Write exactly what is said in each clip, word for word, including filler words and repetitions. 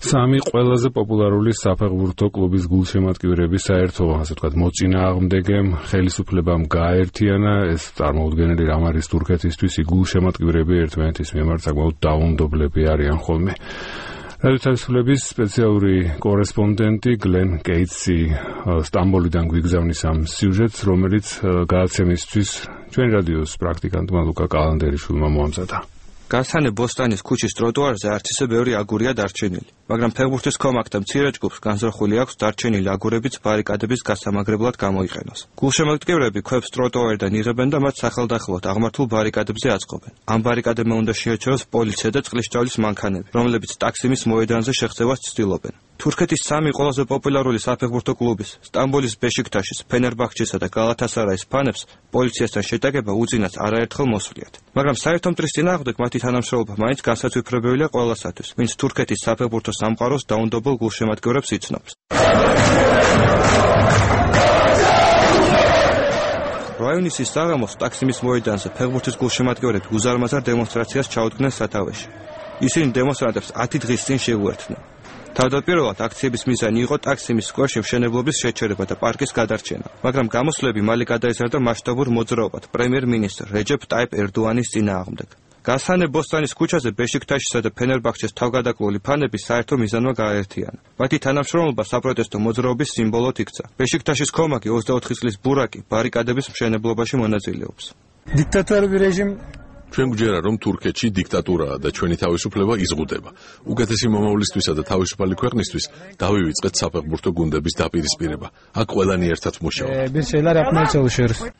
სამი ყველაზე პოპულარული საფეხბურთო კლუბის გულშემატკივრები საერთო, ასე ვთქვათ, მოწინააღმდეგემ ხელისუფლებამ გააერთიანა. ეს წარმოუდგენელი რამ არის თურქეთისთვის, გულშემატკივრები ერთმანეთის მიმართ საკმაოდ დაუნდობლები არიან ხოლმე. რადიო თავისუფლების სპეციალური კორესპონდენტი გლენ კეიტსი სტამბოლიდან გვიგზავნის ამ სიუჟეტს, რომელიც გადაცემისთვის ჩვენი რადიოს პრაქტიკანტმა ლუკა კალანდერიშვილმა მოამზადა. გასანე ბოსტანის ქუჩის ტროტუარზე არც ისე ბევრი აგურია დარჩენილი, მაგრამ ფეხბურთის კომაკთა მცირე ჯგუფს განზრახული აქვს დარჩენილი აგურებიც ბარიკადების გასამაგრებლად გამოიყენოს. გულშემატკივრები ქვებს ტროტუარიდან იღებენ და მათ სახელდახელოდ აღმართულ ბარიკადებზე აწყობენ. ამ ბარიკადებმა უნდა შეაჩეროს პოლიცია და წყლის ჭრალის მანქანები, რომლებიც ტაქსიმის მოედანზე შეღწევას ცდილობენ. თურქეთის სამი ყველაზე პოპულარული საფეხბურთო კლუბის, სტამბოლის ბეშიქტაშის, ფენერბახჩესა და გალათასარაის ფანებს პოლიციასთან შეტაკება უწინას არაერთხელ მოსვლიათ. მაგრამ საერთო მტრის წინააღმდეგ მათი თანამშრომლობა მაინც განსაცვიფრებელია ყველასათვის, ვინც თურქეთის საფეხბურთო სამყაროს დაუნდობელ გულშემატკივრებს იცნობს. რაიონის საღამოს ტაქსიმის მოედანზე ფეხბურთის გულშემატკივრები უზარმაზარ დემონსტრაციას ჩაუდგნენ სათავეში. ისინი დემონსტრანტებს ათი დღის წინ შეუერთდნენ. თავდაპირველად აქციების მიზანი იყო ტაქსიმის სკვერში მშენებლობის შეჩერება და პარკის გადარჩენა, მაგრამ გამოსვლები მალე გადაიზარდა მასშტაბურ მოძრაობად პრემიერ-მინისტრ რეჯეფ ტაიპ ერდოანის წინააღმდეგ. გასანე ბოსტანის ქუჩაზე ბეშიქტაშისა და ფენერბახჩეს თავგადაკლული ფანები საერთო მიზანმა გააერთიანა. მათი თანამშრომლობა საპროტესტო მოძრაობის სიმბოლოდ იქცა. ბეშიქტაშის კომაკი ოცდაოთხი წლის ბურაკი ბარიკადების მშენებლობაში მონაწილეობს. დიქტატორული რეჟიმი ჩვენ გვჯერა, რომ თურქეთში დიქტატურაა და ჩვენი თავისუფლება იზღუდება. უკეთესი მომავლისთვისა და თავისუფალი ქვეყნისთვის დავივიწყეთ საფეხბურთო გუნდების დაპირისპირება. აქ ყველანი ერთად მუშაობთ.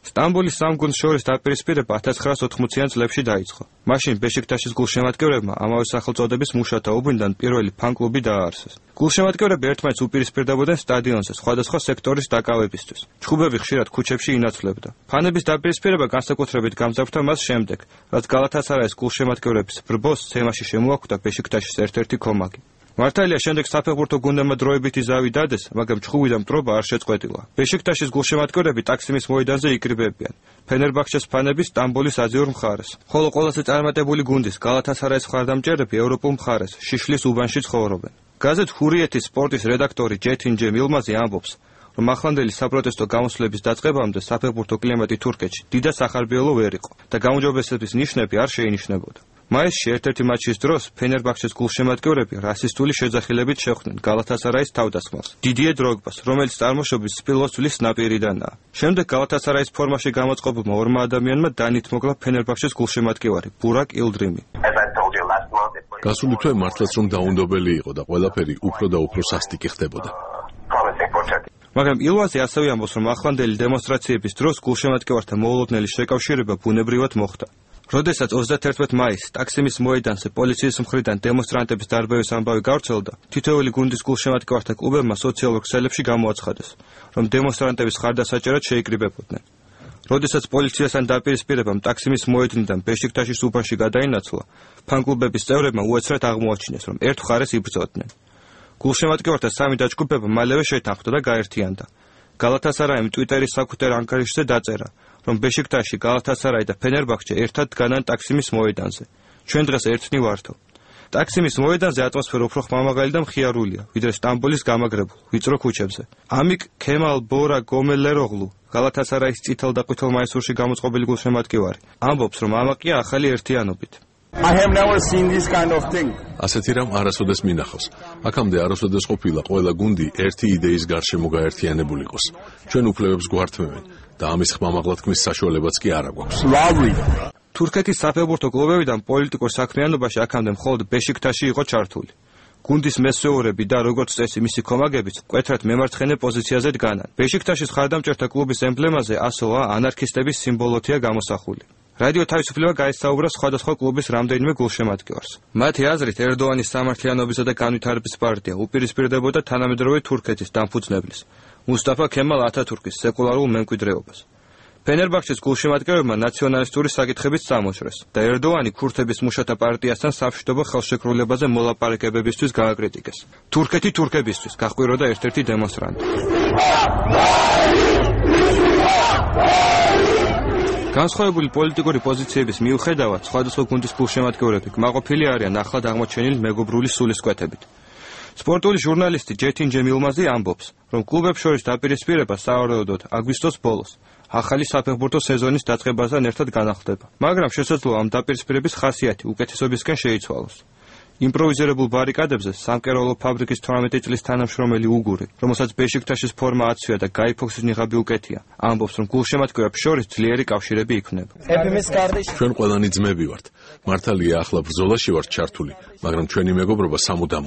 სტამბოლის სამ გუნდს შორის დაპირისპირება ათას ცხრაასა ოთხმოციან წლებში დაიწყო. მაშინ ბეშიქტაშის გულშემატკივრებმა ამავე სახელწოდების მუშათა უბნიდან პირველი ფან-კლუბი დააარსეს. გულშემატკივრები ერთმანეთს უპირისპირდებოდნენ სტადიონზე სხვადასხვა სექტორის დაკავებისთვის. ჩხუბები ხშირად ქუჩებში ინაცვლებდა. ფანების დაპირისპირება განსაკუთრებით გამძაფრდა მას შემდეგ, რაც გალათასარაის გულშემატკივრების ბრბოს თემაში შემოახვდა ბეშიქტაშის ერთ-ერთი კომაკი. მართალია შემდეგ საფეხბურთო გუნდებმა დროებითი ზავი დადეს, მაგრამ ჩხუბიდან მტრობა არ შეწყვეტილა. ბეშიქტაშის გულშემატკივრები ტაქსიმის მოედანზე იკრიბებიან. ფენერბახჩეს ფანები სტამბოლის აზიურ მხარეს. ხოლო ყველაზე წარმატებული გუნდის გალათასარაის მხარდამჭერები ევროპულ მხარეს, შიშლის უბანში ცხოვრობენ. გაზეთ ჰურიეთის სპორტის რედაქტორი ჯეთინჯე მილმაზი ამბობს, რომ ახლანდელი საპროტესტო გამოსვლების დაწყებამდე საფეხბურთო კლიმატი თურქეთში დიდად სახარბიელო ვერ იყო და გაუმჯობესების ნიშნები არ შეინიშნებოდა. მაისში ერთ-ერთი მატჩის დროს ფენერბახჩეს გულშემატკივრები რასისტული შეძახილებით შეხვდნენ გალათასარაის თავდასხმას, დიდიე დროგბას, რომელიც წარმოშობის სპილოს წლის ნაპირიდანაა. შემდეგ გალათასარაის ფორმაში გამოწყობილმა ორმა ადამიანმა დანით მოკლა ფენერბახჩეს გულშემატკივარი ბურაკ ილდრიმი. გასული თვე მართლაც რომ დაუნდობელი იყო და ყველაფერი უფრო და უფრო სასტიკი ხდებოდა. მაგრამ ილვაზე ასევე ამბობს, რომ ახლანდელი დემონსტრაციების დროს გულშემატკივართა მოულოდნელი შეკავშირება ბუნებრივად მოხდა. როდესაც ოცდათერთმეტ მაისს ტაქსიმის მოედანზე პოლიციის მხრიდან დემონსტრანტების დარბევის ამბავი გავრცელდა, თითოეული გუნდის გულშემატკივართა კლუბებმა სოციალურ ქსელებში გამოაცხადეს, რომ დემონსტრანტების ხარდასაჭერად შეიკრიბებოდნენ. როდესაც პოლიციასთან დაპირისპირებამ ტაქსიმის მოედნიდან ბეშიქტაშის უბანში გადაინაცვლა, ფან-კლუბების წევრებმა უეცრად აღმოაჩინეს, რომ ერთ მხარეს იბრძოდნენ. გულშემატკივართა სამი დაჯგუფება მალევე შეთანხმდა და გაერთიანდა. გალათასარაიმ ტვიტერის საკუთარ ანგარიშზე დაწერა, რომ ბეშიქტაში, გალათასარაი და ფენერბახჩე ერთად დგანან ტაქსიმის მოედანზე. ჩვენ დღეს ერთნი ვართო. ტაქსიმის მოედანზე ატმოსფერო უფრო ხმამაღალი და მხიარულია, ვიდრე სტამბოლის გამაგრებულ, ვიწრო ქუჩებზე. ამიკ ქემალ ბორა გომელეროღლუ, გალათასარაის წითელ და ყვითელ მაისურში გამოწყობილი გულშემატკივარი, ამბობს, რომ ამაკია ახალი ერთიანობით. I have never seen this kind of thing. ასეთი რამ არასოდეს მინახავს. აქამდე არასოდეს ყოფილა ყველა გუნდი ერთი იდეის გარშემო გაერთიანებულიყოს. ჩვენ უფლებებს გვართმევენ და ამის ხმამაღლათქმის საშუალებაც კი არ აქვს. თურქეთის საფეხბურთო კლუბებიდან პოლიტიკურ საქმიანობაში აქამდე მხოლოდ ბეშიქტაში იყო ჩართული. გუნდის მესვეურები და როგორც წესი მისი კომაგებიც მკვეთრად მემარცხენე პოზიციაზე დგანან. ბეშიქტაშის ხარდამჭერთა კლუბის ემბლემაზე ასოა ანარქისტების სიმბოლოთია გამოსახული. რადიო თავისუფლება გაესაუბრა სხვადასხვა კლუბის რამდენიმე გულშემატკივარს. მათი აზრით ერდოანის სამართლიანობისა და განვითარების პარტია უპირისპირდებოდა თანამედროვე თურქეთის დამფუძნებლის, მუსტაფა ქემალ ათათურქის სეკულარულ მემკვიდრეობას. ფენერბახჩეს გულშემატკივრებმა ნაციონალისტური საკითხებიც წამოჭრეს და ერდოანი ქურთების მუშათა პარტიასთან სამშვიდობო ხელშეკრულებაზე მოლაპარაკებებისთვის გააკრიტიკეს. თურქეთი თურქებისთვის გაჰყვიროდა ერთ-ერთი დემონსტრანტი. განსხვავებული პოლიტიკური პოზიციების მიუხედავად, სხვადასხვა გუნდის გულშემატკივრები კმაყოფილი არიან ახლად აღმოჩენილი მეგობრული სულისკვეთებით. სპორტული ჟურნალისტი ჯეთინ ჯემილმაზი ამბობს, რომ კლუბებს შორის დაპირისპირება სავარაუდოდ აგვისტოს ბოლოს, ახალი საფეხბურთო სეზონის დაწყებასთან ერთად განახლდება. მაგრამ შესაძლოა ამ დაპირისპირების ხასიათი უკეთესობისკენ შეიცვალოს. იმპროვიზირებულ ბარიკადებზე სამკერვალო ფაბრიკის თორმეტი წლის თანამშრომელი უგური, რომელსაც ბეშიქტაშის ფორმა აცვია და გაი ფოქსის ნიღაბი უკეთია, ამბობს, რომ გულშემატკივრებს შორის ძლიერი კავშირები იქმნება. ჩვენ ყველანი ძმები ვართ. მართალია ახლა ბრძოლაში ვართ ჩართული, მაგრამ ჩვენი მეგობრობა სამუდამოა.